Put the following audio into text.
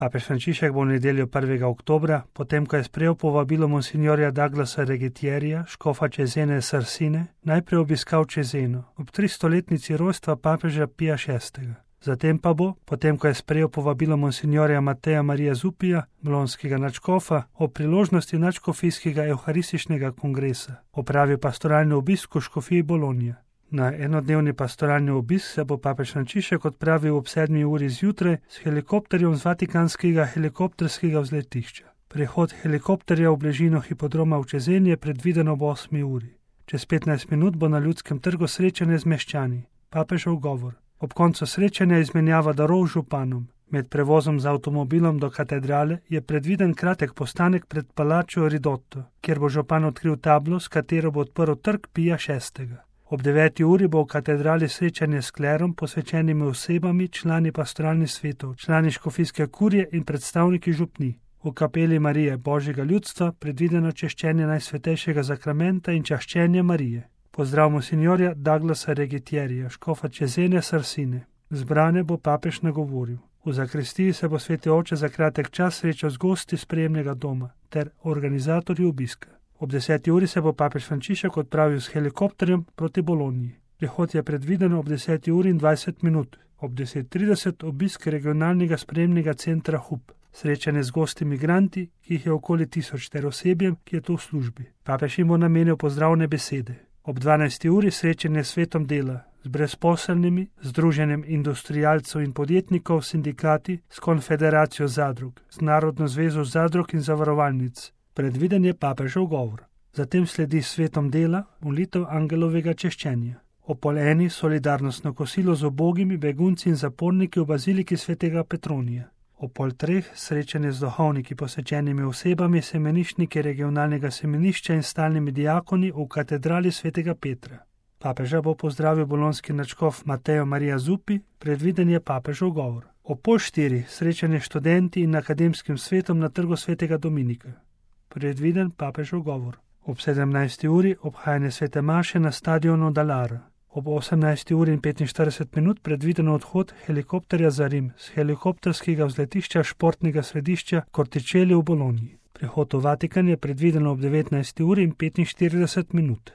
Papež Frančišek bo v nedeljo 1. oktobra, potem ko je sprejel povabilo monsignorja Douglasa Regetierja, škofa Cesene Sarsine, najprej obiskal Ceseno ob 300-letnici rojstva papeža Pija VI. Zatem pa bo, potem ko je sprejel povabilo monsignorja Mateja Marija Zupija, bolonskega nadškofa, o priložnosti nadškofijskega evharističnega kongresa, opravil pastoralni obisk v škofiji Bolonija. Na enodnevni pastoralni obisk se bo papež Frančišek odpravil ob 7. uri zjutraj s helikopterjem z vatikanskega helikopterskega vzletišča. Prehod helikopterja v bližino hipodroma v Ceseni je predviden ob 8. uri. Čez 15 minut bo na Ljudskem trgu srečanje z meščani, papežev govor. Ob koncu srečanja izmenjava darov županom. Med prevozom z avtomobilom do katedrale je predviden kratek postanek pred palačo Ridotto, kjer bo župan odkril tablo, s katero bo odprl trg Pija VI. Ob 9. uri bo v katedrali srečanje s klerom, posvečenimi osebami, člani pastoralnih svetov, člani škofijske kurije in predstavniki župni. V kapeli Marije Božjega ljudstva predvideno češčenje Najsvetejšega zakramenta in čaščenje Marije. Pozdrav monsignorja Douglasa Regetierja, škofa Cesene Sarsine. Zbrane bo papež nagovoril. V zakristiji se bo sveti oče za kratek čas srečal z gosti sprejemnega doma ter organizatorji obiska. Ob 10. uri se bo papež Frančišek odpravil s helikopterjem proti Boloniji. Prihod je predviden ob 10. uri in 20 minut. Ob 10.30 obisk regionalnega sprejemnega centra Hub. Srečanje z gosti migranti, ki jih je okoli 1000 ter osebjem, ki je to v službi. Papež jim bo namenil pozdravne besede. Ob 12. uri srečanje s svetom dela, z brezposelnimi, združenjem industrialcev in podjetnikov, sindikati, s konfederacijo zadrug, z Narodno zvezo zadrug in zavarovalnic. Predviden je papežev govor. Zatem sledi svetom dela molitev angelovega češčenja. Ob 12. solidarnostno kosilo z ubogimi begunci in zaporniki v baziliki svetega Petronija. Ob 2:30 srečanje z duhovniki, posvečenimi osebami, semeniščniki regionalnega semenišča in stalnimi diakoni v katedrali svetega Petra. Papeža bo pozdravil bolonski nadškof Matejo Marija Zupi, predviden je papežev govor. Ob 3:30 srečanje s študenti in akademskim svetom na trgu svetega Dominika. Predviden papežev govor. Ob 17. uri obhajanje svete maše na stadionu Dalara. Ob 18. uri in 45 minut predviden odhod helikopterja za Rim z helikopterskega vzletišča športnega središča Corticelli v Boloniji. Prihod v Vatikan je predviden ob 19. uri in 45 minut.